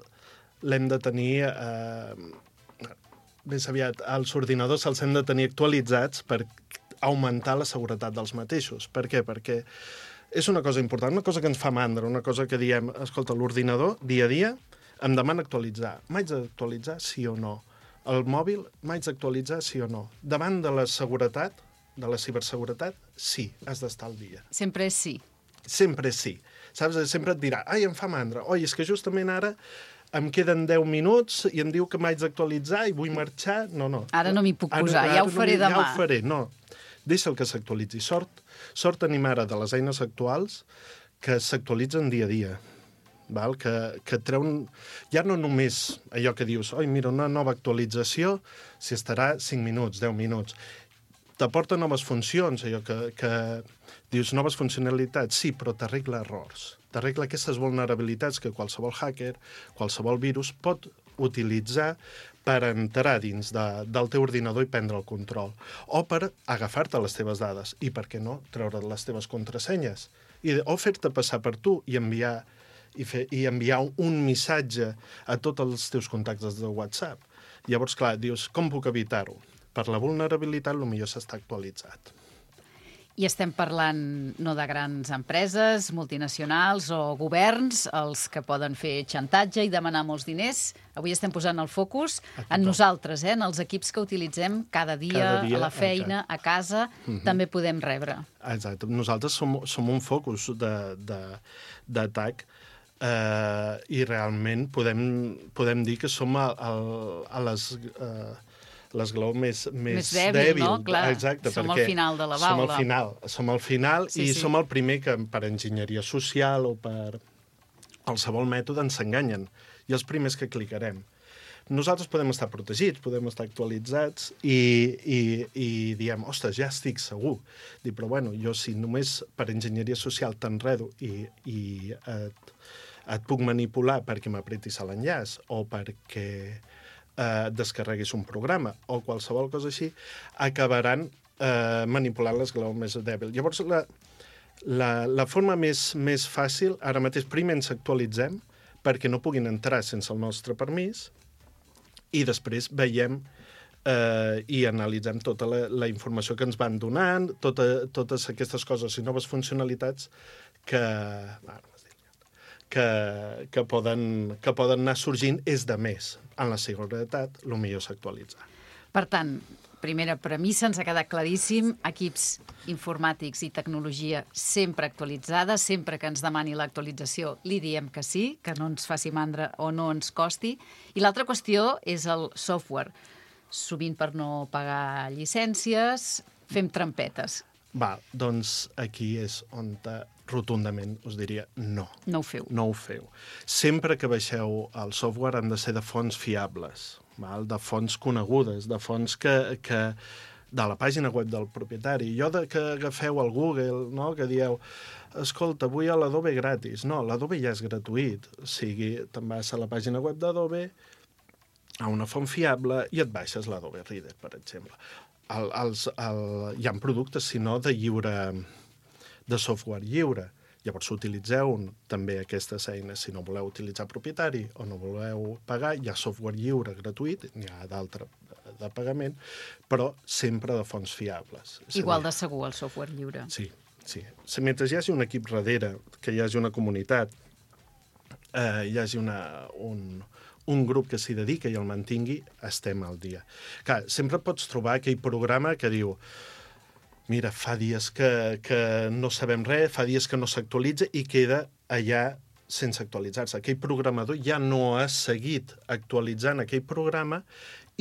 l'hem de tenir... Eh, més aviat, els ordinadors se'ls hem de tenir actualitzats per augmentar la seguretat dels mateixos. Per què? Perquè és una cosa important, una cosa que ens fa mandra, una cosa que diem, escolta, l'ordinador, dia a dia, em demana actualitzar. M'haig d'actualitzar, sí o no? El mòbil, m'haig d'actualitzar, sí o no? Davant de la seguretat, de la ciberseguretat, sí, has d'estar al dia. Sempre és sí. Sempre és sí. Saps? Sempre et dirà, ai, em fa mandra. Oi, és que justament ara em queden deu minuts i em diu que m'haig d'actualitzar i vull marxar. No, no. Ara no m'hi puc posar, ara, ja ho faré no demà. Ja ho faré, no. Deixa'l que s'actualitzi. Sort, sort tenim ara de les eines actuals que s'actualitzen dia a dia. Val? Que, que treuen... Ja no només allò que dius, oi, mira, una nova actualització, si estarà cinc minuts, deu minuts. T'aporta noves funcions, allò que, que dius, noves funcionalitats, sí, però t'arregla errors. T'arregla aquestes vulnerabilitats que qualsevol hacker, qualsevol virus pot utilitzar per entrar dins de, del teu ordinador i prendre el control. O per agafar-te les teves dades i, per què no, treure les teves contrasenyes. I, o fer-te passar per tu i enviar, i, fer, i enviar un missatge a tots els teus contactes de WhatsApp. Llavors, clar, dius, com puc evitar-ho? Per la vulnerabilitat, potser s'està actualitzat. I estem parlant no de grans empreses, multinacionals o governs, els que poden fer xantatge i demanar molts diners. Avui estem posant el focus en nosaltres, eh? En els equips que utilitzem cada dia, cada dia a la feina, exacte. A casa, uh-huh. També podem rebre. Exacte. Nosaltres som, som un focus d'atac eh, i realment podem, podem dir que som a, a, a les... Eh, l'esglaó més, més, més dèbil, dèbil. No? Clar, exacte, som al final de la baula. Som al final, som al final sí, i sí. Som el primer que per enginyeria social o per qualsevol mètode ens enganyen. I els primers que clicarem. Nosaltres podem estar protegits, podem estar actualitzats i, i, i diem, ostres, ja estic segur. Dic, però bueno, jo si només per enginyeria social t'enredo i, i et, et puc manipular perquè m'apretis a l'enllaç o perquè... Eh, descarreguis un programa o qualsevol cosa així, acabaran eh, manipulant l'esglaó més dèbil. Llavors, la, la, la forma més, més fàcil, ara mateix primer ens actualitzem perquè no puguin entrar sense el nostre permís i després veiem eh, i analitzem tota la, la informació que ens van donant, tota, totes aquestes coses i noves funcionalitats que... Bueno, Que, que, poden, que poden anar sorgint és de més. En la seguretat, el millor s'actualitza. Per tant, primera premissa, ens ha quedat claríssim, equips informàtics i tecnologia sempre actualitzada, sempre que ens demani l'actualització li diem que sí, que no ens faci mandra o no ens costi. I l'altra qüestió és el software. Sovint per no pagar llicències, fem trampetes. Va, doncs aquí és on rotundament us diria no. No ho feu. No ho feu. Sempre que baixeu el software han de ser de fonts fiables, val? De fonts conegudes, de fonts que, que, de la pàgina web del propietari. Jo de que agafeu el Google, no?, que dieu, escolta, vull l'Adobe gratis. No, l'Adobe ja és gratuït. O sigui, te'n vas a la pàgina web d'Adobe, a una font fiable, i et baixes l'Adobe Reader, per exemple. El, els, el, hi ha productes, si no, de lliure, de software lliure. Llavors utilitzeu també aquestes eines. Si no voleu utilitzar propietari o no voleu pagar, hi ha software lliure gratuït, n'hi ha d'altre de pagament, però sempre de fonts fiables. Igual de segur el software lliure. Sí, sí. Mentre hi hagi un equip darrere, que hi hagi una comunitat, eh, hi hagi una, un, un grup que s'hi dedica i el mantingui, estem al dia. Clar, sempre pots trobar aquell programa que diu mira, fa dies que, que no sabem res, fa dies que no s'actualitza i queda allà sense actualitzar-se. Aquell programador ja no ha seguit actualitzant aquell programa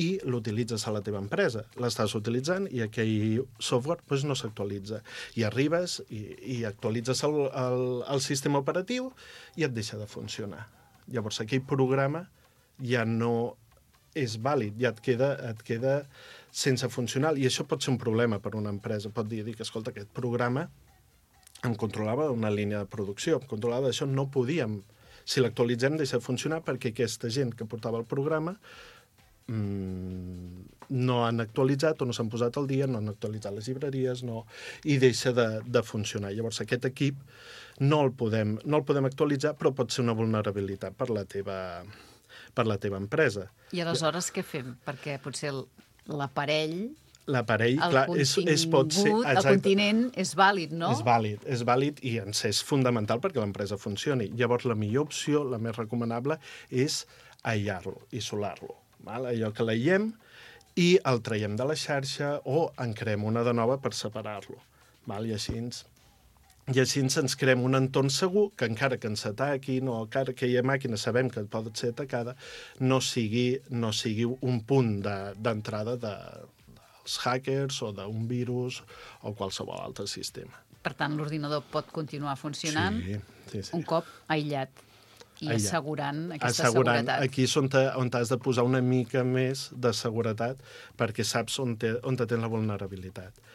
i l'utilitzes a la teva empresa. L'estàs utilitzant i aquell software doncs, no s'actualitza. I arribes i, i actualitzes el, el, el sistema operatiu i et deixa de funcionar. Llavors aquell programa ja no és vàlid, ja et queda, et queda sense funcionar. I això pot ser un problema per una empresa. Pot dir que, escolta, aquest programa em controlava una línia de producció, em controlava d'això, no podíem. Si l'actualitzem, deixa de funcionar perquè aquesta gent que portava el programa mmm, no han actualitzat o no s'han posat al dia, no han actualitzat les llibreries, no, i deixa de, de funcionar. Llavors, aquest equip no el, podem, no el podem actualitzar, però pot ser una vulnerabilitat per la teva, per la teva empresa. I aleshores què fem? Perquè potser l'aparell, l'aparell, clar, és, és, pot ser... Exacte, el continent és vàlid, no? És vàlid, és vàlid i ens és fundamental perquè l'empresa funcioni. Llavors, la millor opció, la més recomanable, és aïllar-lo, isolar-lo. Val? Allò que l'aïllem i el traiem de la xarxa o en creem una de nova per separar-lo. Val? I així ens... I així ens creem un entorn segur que encara que ens ataquin o encara que aquella màquina sabem que pot ser atacada, no sigui, no sigui un punt d'entrada de, dels hackers o d'un virus o qualsevol altre sistema. Per tant, l'ordinador pot continuar funcionant sí, sí, sí. un cop aïllat i aïllat. assegurant aquesta assegurant, seguretat. Aquí és on, te, on has de posar una mica més de seguretat perquè saps on, te, on te tens la vulnerabilitat.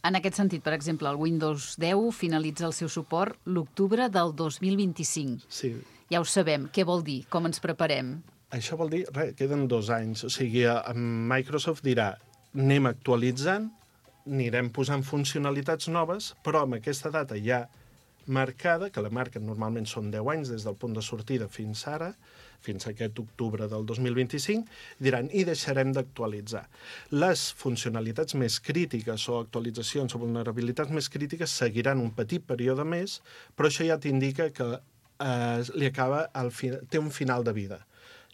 En aquest sentit, per exemple, el Windows deu finalitza el seu suport l'octubre del dos mil vint-i-cinc. Sí. Ja ho sabem. Què vol dir? Com ens preparem? Això vol dir, res, queden dos anys. O sigui, Microsoft dirà, anem actualitzant, anirem posant funcionalitats noves, però amb aquesta data ja marcada, que la marca normalment són deu anys des del punt de sortida fins ara, fins a aquest octubre del dos mil vint-i-cinc, diran, i deixarem d'actualitzar. Les funcionalitats més crítiques o actualitzacions o vulnerabilitats més crítiques seguiran un petit període més, però això ja t'indica que eh, li acaba el fi... té un final de vida.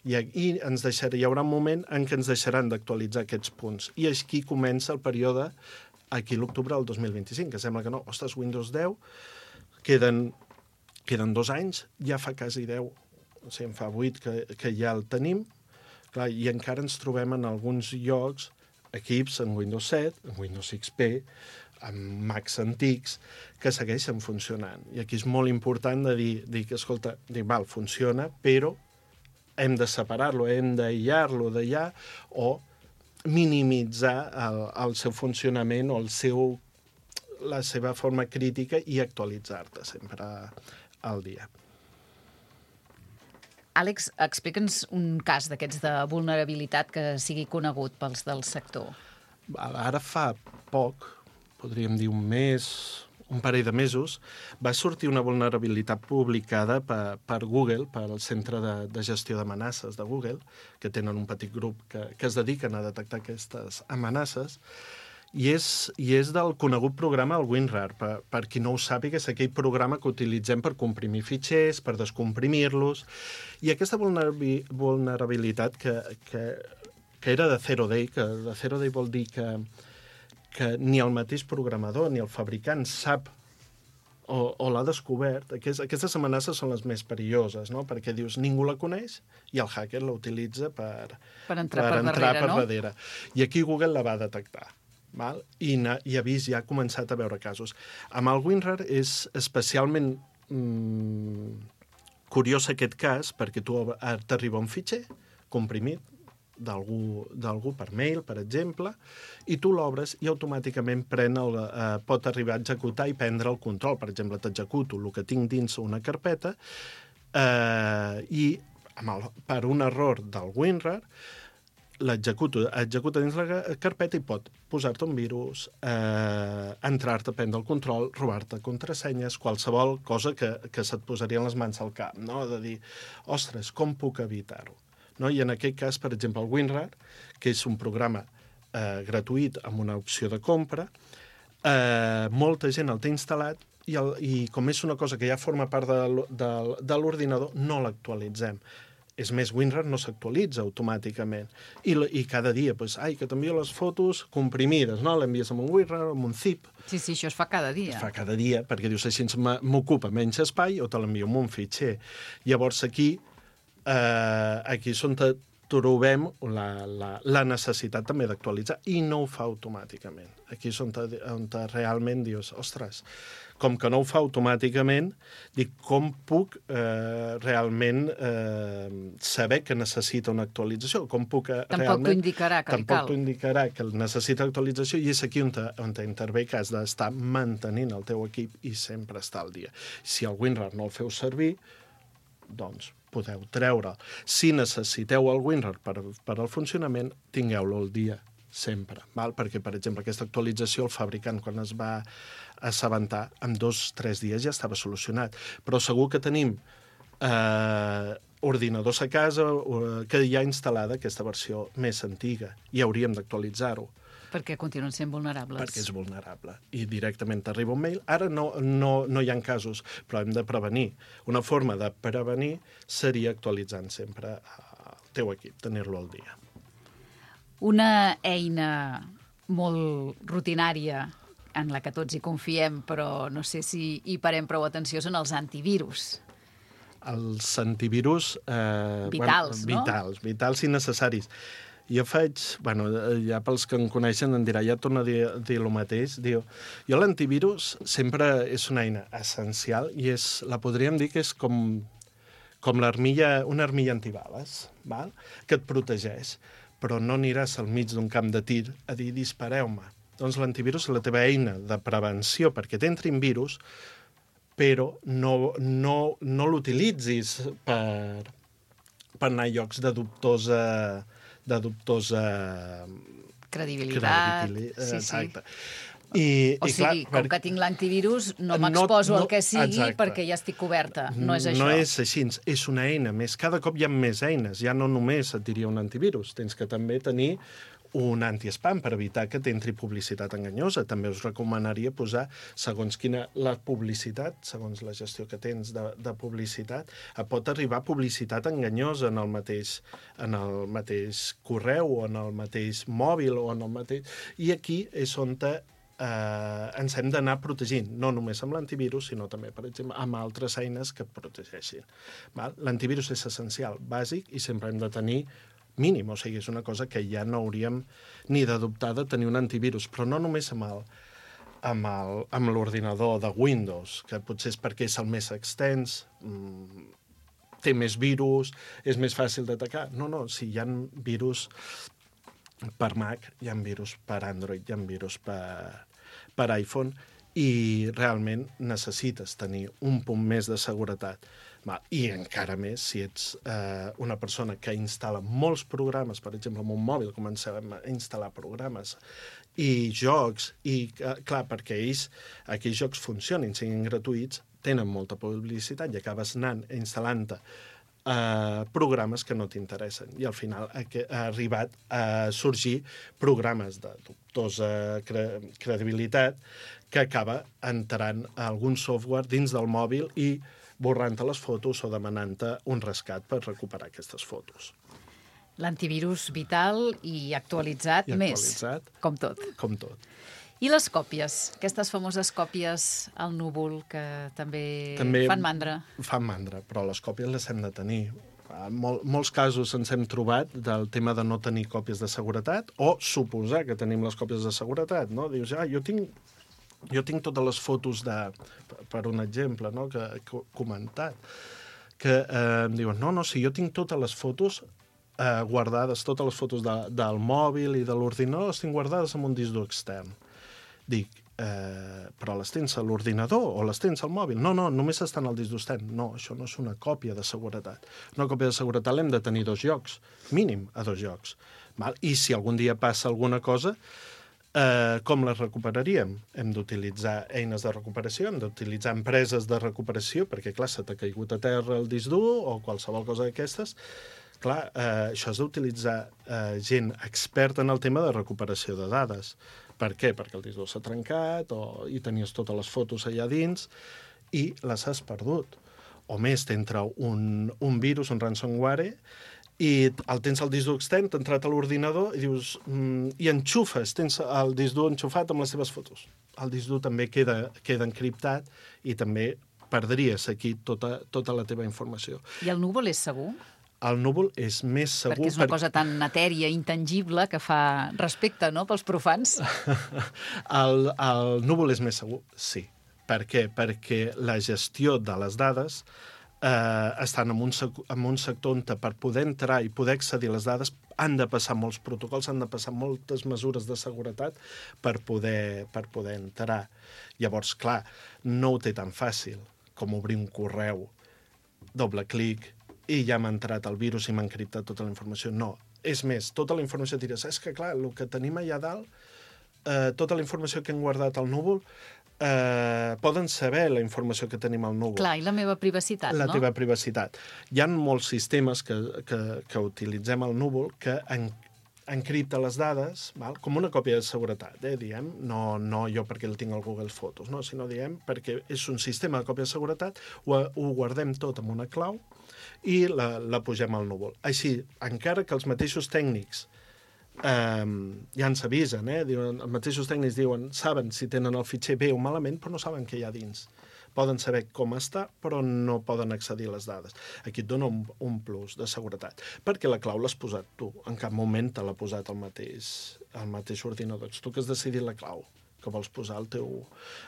I, i ens deixarà, hi haurà un moment en què ens deixaran d'actualitzar aquests punts. I aquí comença el període, aquí l'octubre del dos mil vint-i-cinc, que sembla que no, ostres, Windows deu, queden, queden dos anys, ja fa quasi deu, o sigui, en fa vuit que, que ja el tenim, clar, i encara ens trobem en alguns llocs equips en Windows set, en Windows X P, amb Macs antics, que segueixen funcionant. I aquí és molt important de dir, dir que, escolta, dir, val, funciona, però hem de separar-lo, hem d'aïllar-lo d'allà o minimitzar el, el seu funcionament o el seu, la seva forma crítica i actualitzar-te sempre al dia. Àlex, explica'ns un cas d'aquests de vulnerabilitat que sigui conegut pels del sector. Ara fa poc, podríem dir un mes, un parell de mesos, va sortir una vulnerabilitat publicada per, per Google, pel Centre de, de Gestió d'Amenaces de Google, que tenen un petit grup que, que es dediquen a detectar aquestes amenaces, i és, i és del conegut programa el WinRAR. Per, per qui no ho sàpiga, és aquell programa que utilitzem per comprimir fitxers, per descomprimir-los, i aquesta vulnerabilitat que, que, que era de zero day, que de zero day vol dir que, que ni el mateix programador ni el fabricant sap o, o l'ha descobert. Aquest, aquestes amenaces són les més perilloses, no? Perquè dius, ningú la coneix i el hacker la utilitza per, per entrar, per, per, entrar darrere, per no? darrere. I aquí Google la va detectar. Val? I, i ha vist, ja ha començat a veure casos. Amb el WinRAR és especialment mm, curiós aquest cas, perquè tu t'arriba un fitxer comprimit, d'algú per mail, per exemple, i tu l'obres i automàticament pren el, eh, pot arribar a executar i prendre el control. Per exemple, t'executo el que tinc dins una carpeta eh, i amb el, per un error del WinRAR l'executo, executa dins la carpeta i pot posar-te un virus, eh, entrar-te, prendre el control, robar-te contrasenyes, qualsevol cosa que, que se't posaria en les mans al cap, no? De dir, ostres, com puc evitar-ho? No? I en aquest cas, per exemple, el WinRAR, que és un programa eh, gratuït amb una opció de compra, eh, molta gent el té instal·lat i, el, i com és una cosa que ja forma part de, de, de l'ordinador, no l'actualitzem. És més, WinRAR no s'actualitza automàticament. I, i cada dia, doncs, ai, que t'envio les fotos comprimides, no? L'envies amb un WinRAR o amb un zip. Sí, sí, això es fa cada dia. Es fa cada dia, perquè dius, així m'ocupa menys espai o te l'envio amb un fitxer. Llavors, aquí, eh, aquí és on trobem la, la, la necessitat també d'actualitzar i no ho fa automàticament. Aquí és on, te, on te realment dius, ostres, com que no ho fa automàticament, dic, com puc eh, realment eh, saber que necessita una actualització? Com puc eh, tampoc realment... t'ho indicarà que li cal. Tampoc t'ho indicarà que necessita actualització i és aquí on, te, on te intervé que has d'estar mantenint el teu equip i sempre estar al dia. Si el WinRAR no el feu servir, doncs podeu treure. Si necessiteu el WinRAR per, per al funcionament, tingueu-lo al dia, sempre. Val? Perquè, per exemple, aquesta actualització, el fabricant, quan es va assabentar, en dos o tres dies ja estava solucionat. Però segur que tenim eh, ordinadors a casa que hi ha instal·lada aquesta versió més antiga i hauríem d'actualitzar-ho. Perquè continuen sent vulnerables. Perquè és vulnerable. I directament t'arriba un mail. Ara no, no, no hi ha casos, però hem de prevenir. Una forma de prevenir seria actualitzant sempre el teu equip, tenir-lo al dia. Una eina molt rutinària en la que tots hi confiem, però no sé si hi parem prou atenció, són els antivirus. Els antivirus... Eh, vitals, bueno, no? Vitals, vitals i necessaris. Jo faig... Bueno, ja pels que em coneixen em dirà, ja torno a dir, a dir el mateix. Diu, jo l'antivirus sempre és una eina essencial i és, la podríem dir que és com, com l'armilla, una armilla antibales, val? Que et protegeix. Però no aniràs al mig d'un camp de tir a dir dispareu-me. Doncs l'antivirus és la teva eina de prevenció perquè t'entrin virus, però no, no, no l'utilitzis per, per anar a llocs de dubtosa... de dubtosa... credibilitat. credibilitat. Sí, exacte. Sí. I, o i sigui, clar, com per... que tinc l'antivirus, no m'exposo no, no, al que sigui exacte. perquè ja estic coberta. No és això. No és així, és una eina més. Cada cop hi ha més eines. Ja no només et diria un antivirus. Tens que també tenir un anti-spam per evitar que t'entri publicitat enganyosa. També us recomanaria posar, segons quina la publicitat, segons la gestió que tens de, de publicitat, pot arribar publicitat enganyosa en el mateix, en el mateix correu o en el mateix mòbil o en el mateix... I aquí és on te, eh, ens hem d'anar protegint, no només amb l'antivirus, sinó també, per exemple, amb altres eines que et protegeixin. L'antivirus és essencial, bàsic, i sempre hem de tenir mínim, o sigui, és una cosa que ja no hauríem ni d'adoptar de tenir un antivirus, però no només amb el, amb el, amb l'ordinador de Windows, que potser és perquè és el més extens, mmm, té més virus, és més fàcil d'atacar. No, no, si hi ha virus per Mac, hi ha virus per Android, hi ha virus per, per iPhone, i realment necessites tenir un punt més de seguretat. I encara més si ets eh, una persona que instal·la molts programes, per exemple, amb un mòbil comencem a instal·lar programes i jocs, i clar, perquè ells, aquells jocs funcionin, siguin gratuïts, tenen molta publicitat i acabes anant instal·lant-te eh, programes que no t'interessen. I al final ha, ha arribat a sorgir programes de dubtosa cre credibilitat que acaba entrant algun software dins del mòbil i borrant-te les fotos o demanant-te un rescat per recuperar aquestes fotos. L'antivirus vital i actualitzat, I més, actualitzat, com tot. Com tot. I les còpies, aquestes famoses còpies al núvol que també, també fan mandra. Fan mandra, però les còpies les hem de tenir. En mol, molts casos ens hem trobat del tema de no tenir còpies de seguretat o suposar que tenim les còpies de seguretat, no? Dius, ah, jo tinc... Jo tinc totes les fotos de... Per un exemple, no?, que he comentat, que eh, em diuen, no, no, si jo tinc totes les fotos eh, guardades, totes les fotos de, del mòbil i de l'ordinador les tinc guardades en un disc dur extern. Dic, eh, però les tens a l'ordinador o les tens al mòbil? No, no, només estan al disc dur extern. No, això no és una còpia de seguretat. Una còpia de seguretat l'hem de tenir dos llocs, mínim a dos llocs. Val? I si algun dia passa alguna cosa, eh, com les recuperaríem? Hem d'utilitzar eines de recuperació, hem d'utilitzar empreses de recuperació, perquè, clar, se t'ha caigut a terra el disc dur o qualsevol cosa d'aquestes. Clar, eh, això és d'utilitzar eh, gent experta en el tema de recuperació de dades. Per què? Perquè el disc dur s'ha trencat o, i tenies totes les fotos allà dins i les has perdut. O més, t'entra un, un virus, un ransomware, i el tens al disc dur extern, t'ha entrat a l'ordinador i dius, mm, i enxufes, tens el disc dur enxufat amb les seves fotos. El disc dur també queda, queda encriptat i també perdries aquí tota, tota la teva informació. I el núvol és segur? El núvol és més segur... Perquè és una per... cosa tan etèria, intangible, que fa respecte, no?, pels profans. el, el núvol és més segur, sí. Per què? Perquè la gestió de les dades eh, estan en un, en un sector on per poder entrar i poder accedir a les dades han de passar molts protocols, han de passar moltes mesures de seguretat per poder, per poder entrar. Llavors, clar, no ho té tan fàcil com obrir un correu, doble clic, i ja m'ha entrat el virus i m'ha encriptat tota la informació. No. És més, tota la informació diràs, és que clar, el que tenim allà dalt, eh, tota la informació que hem guardat al núvol, eh, poden saber la informació que tenim al núvol. Clar, i la meva privacitat, la no? La teva privacitat. Hi ha molts sistemes que, que, que utilitzem al núvol que en, encripta les dades, val? Com una còpia de seguretat, eh, diem, no, no jo perquè el tinc al Google Fotos, no? Sinó diem perquè és un sistema de còpia de seguretat, ho, ho guardem tot amb una clau i la, la pugem al núvol. Així, encara que els mateixos tècnics eh, ja ens avisen, eh, diuen, els mateixos tècnics diuen, saben si tenen el fitxer bé o malament, però no saben què hi ha dins. Poden saber com està, però no poden accedir a les dades. Aquí et dona un, un plus de seguretat, perquè la clau l'has posat tu. En cap moment te l'ha posat el mateix, el mateix ordinador. Ets tu que has decidit la clau que vols posar al teu,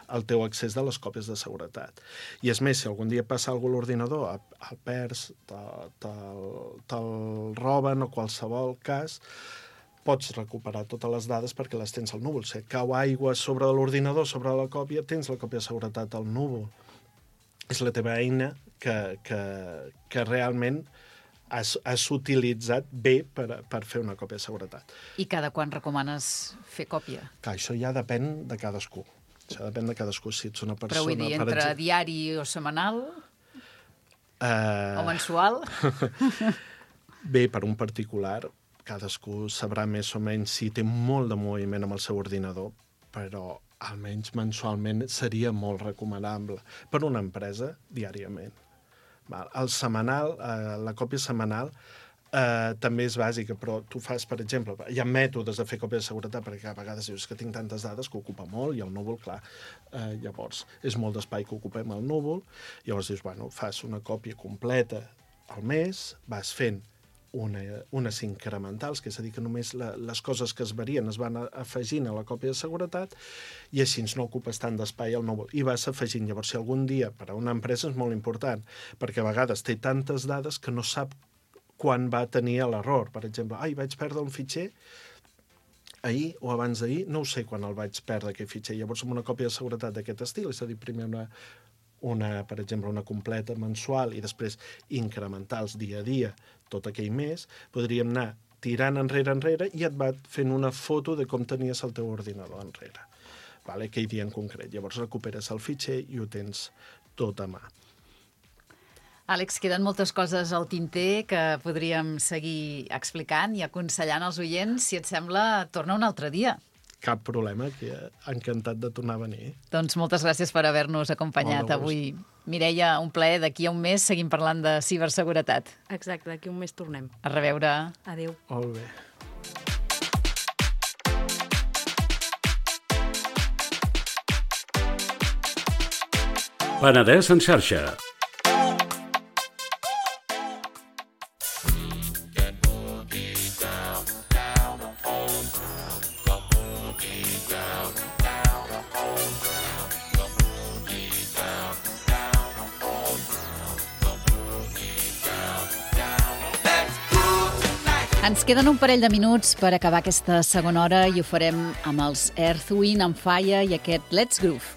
al teu accés de les còpies de seguretat. I és més, si algun dia passa alguna cosa a l'ordinador, el perds, te'l te, te roben o qualsevol cas, pots recuperar totes les dades perquè les tens al núvol. Si et cau aigua sobre l'ordinador, sobre la còpia, tens la còpia de seguretat al núvol. És la teva eina que, que, que realment has, has utilitzat bé per, per fer una còpia de seguretat. I cada quan recomanes fer còpia? Clar, això ja depèn de cadascú. Això depèn de cadascú. Si ets una persona... Però vull dir, entre exemple... diari o setmanal? Uh... O mensual? Bé, per un particular, cadascú sabrà més o menys si té molt de moviment amb el seu ordinador, però almenys mensualment seria molt recomanable. Per una empresa, diàriament. El setmanal, eh, la còpia setmanal eh, també és bàsica, però tu fas, per exemple, hi ha mètodes de fer còpia de seguretat, perquè a vegades dius que tinc tantes dades que ocupa molt, i el núvol, clar, eh, llavors és molt d'espai que ocupem al núvol, llavors dius, bueno, fas una còpia completa al mes, vas fent Una, unes incrementals, que és a dir, que només la, les coses que es varien es van afegint a la còpia de seguretat i així no ocupes tant d'espai al núvol. I vas afegint. Llavors, si algun dia per a una empresa és molt important, perquè a vegades té tantes dades que no sap quan va tenir l'error. Per exemple, ai, vaig perdre un fitxer ahir o abans d'ahir, no ho sé quan el vaig perdre, aquell fitxer. Llavors, amb una còpia de seguretat d'aquest estil, és a dir, primer una, una, per exemple, una completa mensual i després incrementals dia a dia, tot aquell mes, podríem anar tirant enrere, enrere, i et va fent una foto de com tenies el teu ordinador enrere. Vale? Aquell dia en concret. Llavors recuperes el fitxer i ho tens tot a mà. Àlex, queden moltes coses al tinter que podríem seguir explicant i aconsellant als oients. Si et sembla, torna un altre dia. Cap problema, que encantat de tornar a venir. Doncs moltes gràcies per haver-nos acompanyat avui. Mireia, un plaer. D'aquí a un mes seguim parlant de ciberseguretat. Exacte, d'aquí a un mes tornem. A reveure. Adéu. Molt bé. Penedès en xarxa. Let's groove tonight. Ens queden un parell de minuts per acabar aquesta segona hora i ho farem amb els Earth, Wind and Fire i aquest Let's Groove.